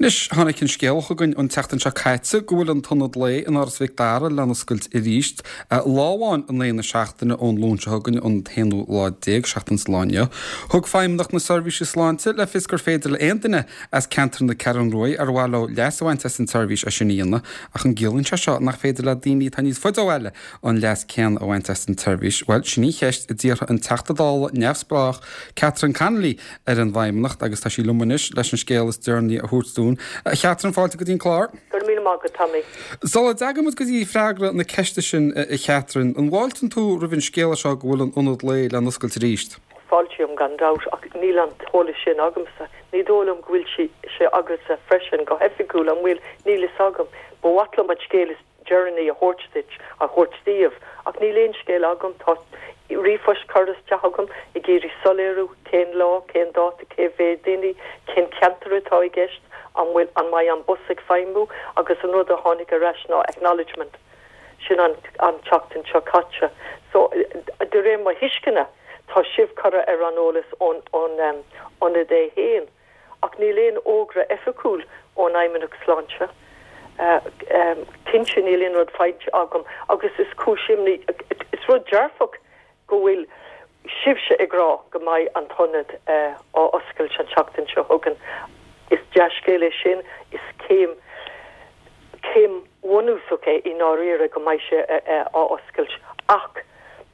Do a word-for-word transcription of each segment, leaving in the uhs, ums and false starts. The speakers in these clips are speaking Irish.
Anois tháinig an scéal chugainn an tseachtain seo caite go bhfuil an tIonad Lae in Áras Mhic Dara lena oscailt arís lá amháin in aghaidh na seachtaine ón Luan seo chugainn an t-aonú lá déag seachtain sa lá inniu. Thug Feidhmeannacht na Seirbhíse Sláinte le fios gur féidir le aon duine as ceantar na Ceathrún Rua ar mhaith leo leas a bhaint as an tseirbhís é sin a dhéanamh ach an gciallaíonn sé seo nach féidir le daoine atá níos faide ó bhaile an leas céanna a bhaint as an tseirbhís. Well sin í an cheist a d'iarr an Teachta Dála neamhspleách Catherine Connolly ar an bhFeidhmeannacht agus tá sí liom anois leis an scéal is deireanaí a thabhairt dúinn. A Chatherine fáilte go dtí an clár? Go raibh míle maith agat Tommy. Sula dteagann go dtí freagra na ceiste sin a Chatherine, an bhfáiltíonn tú roimh an scéal seo go bhfuil an ionad lae le n-oscailt arís. Fáiltím gan dabht ach níl an t-eolas sin agamsa. Ní dóigh liom go bhfuil sé agatsa freisin go hoifigiúil an bhfuil níl a fhios agam, Ba mhaith liom an scéal is deireanaí a thabhairt duit a thabhairt daoibh ach níl aon scéal agam tá ríomhphost curtha isteach agam ag iarraidh soiléiriú cén lá cén dáta cé mhéad daoine cén ceantar atá i gceist an bhfuil an mbeidh an bus ag feidhmiú agus an rud a tháinig ar ais ná acknowledgement sin an an tseachtain seo caite. So de réir mo thuisceana tá sibh curtha ar an eolas ón ón um, ionad é féin ach níl aon fhógra oifigiúil ón Fheidhmeannacht Sláinte. Uh, um, Cinnte níl aon rud faighte agam agus is cúis imní is rud dearfach go bhfuil sibhse ag rá go mbeidh an t-ionad uh, á oscailt an tseachtain seo chugainn. Is dea-scéal é sin is céim céim bhunúsach é i ndáiríre go mbeidh sé á oscailt ach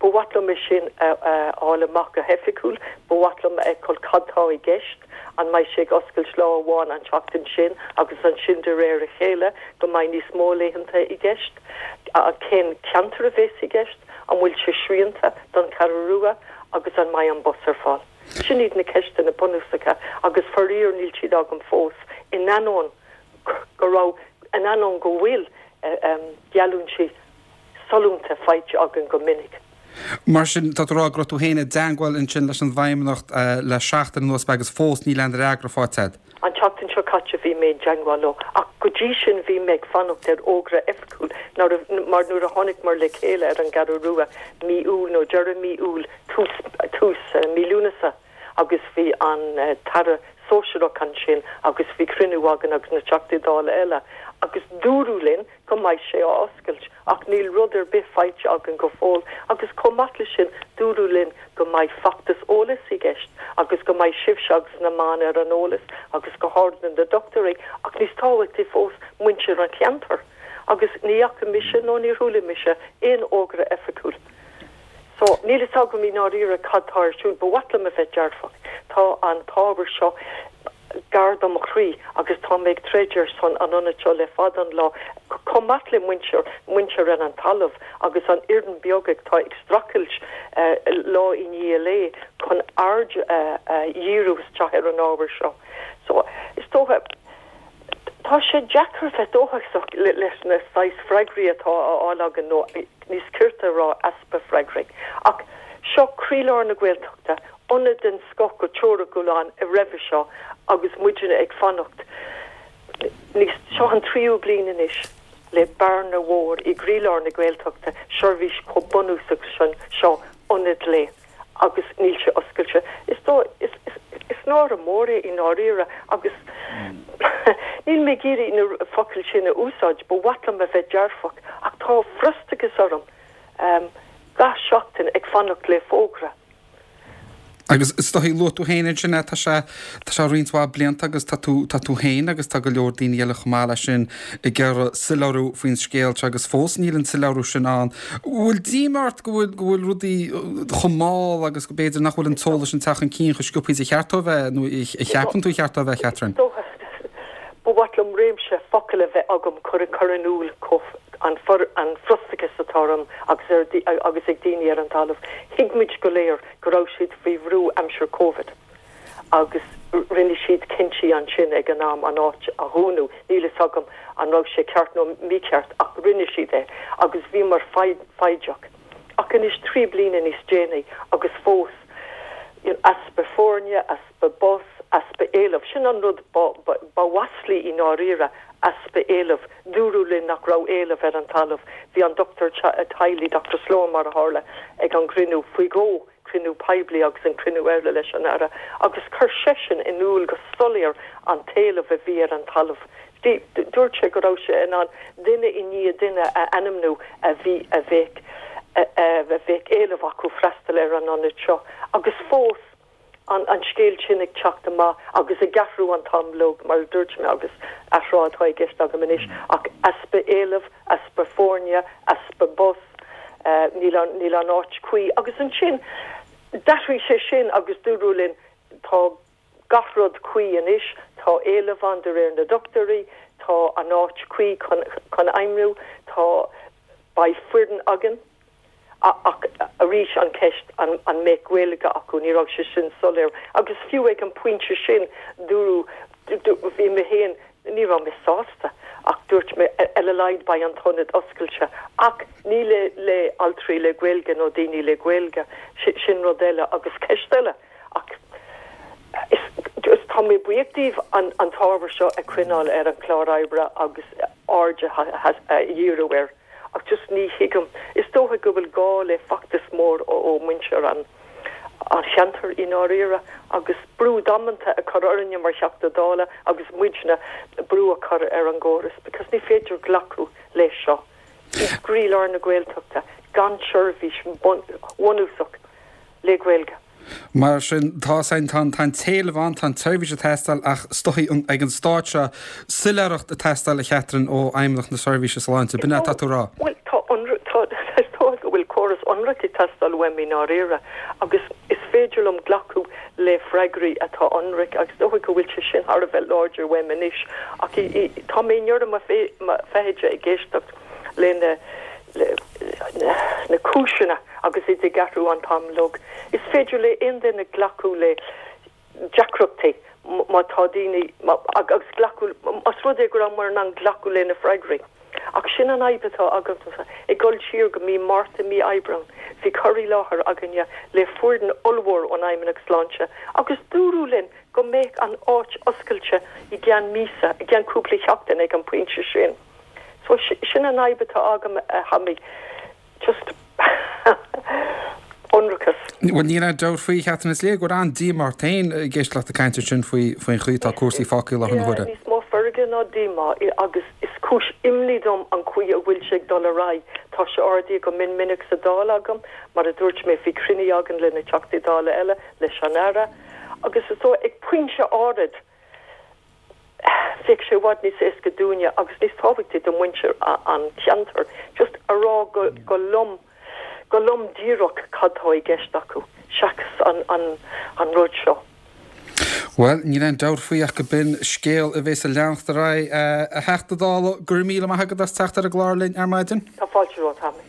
ba mhaith liom sin fháil amach go hoifigiúil, ba mhaith liom fheiceáil cad tá i gceist an mbeidh sé ag oscailt lá amháin an tseachtain sin agus ansin de réir a chéile go mbeidh níos mó laethanta i gceist cén ceantar a bheas i gceist an bhfuil sé srianta don Cheathrú Rua agus an mbeidh an bus ar fáil. Sin iad na ceisteanna bunúsacha agus faraor níl siad agam fós in ainneoin go raibh in ainneoin go bhfuil geallúintí sollúnta faighte againn go minic. Mar sin tá rá go tú féin i dteagmháil ansin leis an bhFeidhmeannacht le seachtain anuas agus fós níl aon fhreagra faighte agat. An tseachtain seo caite bhí mé i dteagmháil leo ach go dtí sin bhí mé ag fanacht ar fhógra oifigiúil mar nuair a tháinig muid le chéile ar an gCeathrú Rua mí Iúil nó deireadh mí Iúil tús tús mí Lúnasa agus bhí an tAire sóisearach ansin agus bhí cruinniú againn agus na Teachtaí Dála eile agus dúradh linn go mbeidh sé á oscailt ach níl rud ar bith faighte againn go fóill agus chomh maith leis sin dúradh linn go mbeidh feachtas eolais i gceist agus go mbeidh sibhse agus na meáin ar an eolas agus go háirithe na dochtúirí ach níos tábhachtaí fós muintir an cheantair agus ní fhaca mise nó níor chuala mise aon fhógra oifigiúil. So níl a fhios agam i ndáiríre cad tá ar siúl, ba mhaith liom a bheith dearfach. Tá an t-ábhar seo gar do mo chroí agus tá mé ag troid ar son an ionaid seo le fada an lá chomh maith le muintir muintir ar an talamh agus an fhoireann beag atá ag streachailt uh, lá i ndiaidh lae chun aird uh, uh, dhíriú isteach ar an ábhar seo. So is dócha Tá sé deacair bheith dóchasach leis na saghas freagraí atá á fháil againn nó níos cirte rá easpa freagraí. Ach seo croílár na Gaeltachta, ionad den scoth go teoiriciúil ann i roimhe seo agus muidne ag fanacht. Níos seo an tríú bliain anois le bearna mhór i gcroílár na Gaeltachta seirbhís chomh bunúsach sin seo ionad lae agus níl sé oscailte. Is dó is, is, is náire mór é i ndáiríre agus níl mé ag iarraidh na focail sin a úsáid, ba mhaith liom a bheith dearfach ach tá frustrachas orm um, gach seachtain ag fanacht le fógra. Agus is dóigh luaigh tú féin sin tá sé tá sé roinnt mhaith blianta agus tá tú tá tú féin agus tá go leor daoine eile chomh maith leis sin ag iarraidh soiléiriú faoin scéal agus fós níl an soiléiriú sin ann. Bhfuil díomá ort go bhfuil go bhfuil rudaí chomh mall agus go b'fhéidir nach bhfuil an t-eolas sin teacht chun cinn chomh sciobtha is a cheart dó bheith nó a cheapann tú cheart dó bheith Catherine. Ba mhaith liom réimse focal a bheith agam chun cur in iúl an an frustrachas atá orm agus ar agus ag daoine ar an talamh. Thuig muid go léir go raibh siad faoi bhrú aimsir COVID. agus rinne siad cinntí ansin ag an am an áit a dhúnadh níl a fhios agam an raibh sé ceart nó mícheart ach rinne siad é agus bhí mar foighdeach. Ach anois trí bliana níos déanaí agus fós easpa foirne, easpa bus, easpa éilimh. Sin an rud ba mhaslaí i ndáiríre easpa éilimh, dúradh linn nach raibh éileamh ar an talamh. Bhí an Dr teaghlaigh Dr Sloan mar a tharla ag an gcruinniú faoi dhó cruinniú poiblí agus an cruinniú eile leis an Aire agus chuir seisean in iúl go soiléir an t-éileamh a bhí ar an talamh. Dúirt sé go raibh sé in ann duine i ndiaidh duine a ainmniú a bhí a bheadh a bheadh éileamh acu freastal ar an ionad seo agus fós an an scéal sin ag teacht amach agus ag athrú an t-am uilig mar a dúirt mé agus athrá atá i gceist agam anois ach easpa éilimh, easpa foirne, easpa bus, níl an níl an áit cuí agus ansin d'athraigh sé sin agus dúradh linn tá gach rud cuí anois, tá éileamh ann de réir na dochtúirí, tá an áit cuí chun chun oibriú, tá beidh foireann againn. Ach arís an ceist an an mbeidh Gaeilge acu, ní raibh sé sin soiléir. Agus fiú ag an pointe sin dúradh bhí mé féin ní raibh mé sásta ach dúirt mé ar a laghad beidh an t-ionad oscailte ach ní le le altraí le Gaeilge nó daoine le Gaeilge, sin rud eile agus ceist eile ach is is tá mé buíoch díobh an an t-ábhar seo a choinneáil ar an chlár oibre agus aird a dhíriú air. Ach just ní thuigim. Is dócha go bhfuil gá le feachtas mór ó mhuintir an an cheantair i ndáiríre agus brú damanta a chur orainne mar Theachta Dála agus muidne brú a chur ar an gcóras because ní féidir glacadh leis seo. I gcroílár na Gaeltachta gan seirbhís bhunúsach le Gaeilge. Mar sin tá tá an t-éileamh ann tá an tseirbhís ag teastáil ach is dóichí ag an staid seo soiléireacht ag teastáil a Chatherine ó Fheidhmeannacht na Seirbhíse Sláinte. B'in atá tú a rá. Bhuel tá is dóigh go bhfuil córas ionraic ag teastáil uaim i ndáiríre agus is féidir liom glacadh le freagraí atá ionraic agus is dóigh go bhfuil sé sin thar a bheith láidir uaim anois ach tá mé i ndeireadh mo feithide ag éisteacht le na na cúiseanna agus iad ag athrú an t-am uilig. Is féidir le aon duine glacadh le deacrachtaí má tá daoine agus glacadh más rud é go rabhamar in ann glacadh le na freagraí. Ach sin an fhadhb atá agamsa. Ag dul siar go mí Márta, mí Aibreán, bhí cur i láthair againne le foireann ollmhór ón Fheidhmeannacht Sláinte agus dúradh linn go mbeadh an áit oscailte i gceann míosa, i gceann cúpla seachtain ag an bpointe sin. So sin an fhadhb atá agam a Thomaí. Just ionracas. Bhuel níl aon dabht faoi Chatherine is léir go bhfuil an-díomá ort féin ag éisteacht leat ag caint ansin faoi faoin chaoi atá cúrsaí fágtha i láthair na huaire. Níos mó feirge ná díomá agus is cúis imní dom an chaoi a bhfuil sé ag dul ar aghaidh. Tá sé ardaithe go mion minic sa Dáil agam, mar a dúirt mé bhí cruinniú againn le na Teachtaí Dála eile, leis an Aire, agus is dóigh ag pointe áirid, bheadh sé i bhfad níos éasca dúinne agus níos tábhachtaí do mhuintir an cheantair just a rá go go lom go lom díreach cad tá i gceist acu seachas an an an rud seo. Bhuel, níl aon dabht faoi ach go b'in scéal a bheas ag leanacht ar aghaidh. A Theachta Dála, go raibh míle maith agat as teacht ar an gclár linn ar maidin. Tá fáilte romhat, Tommy.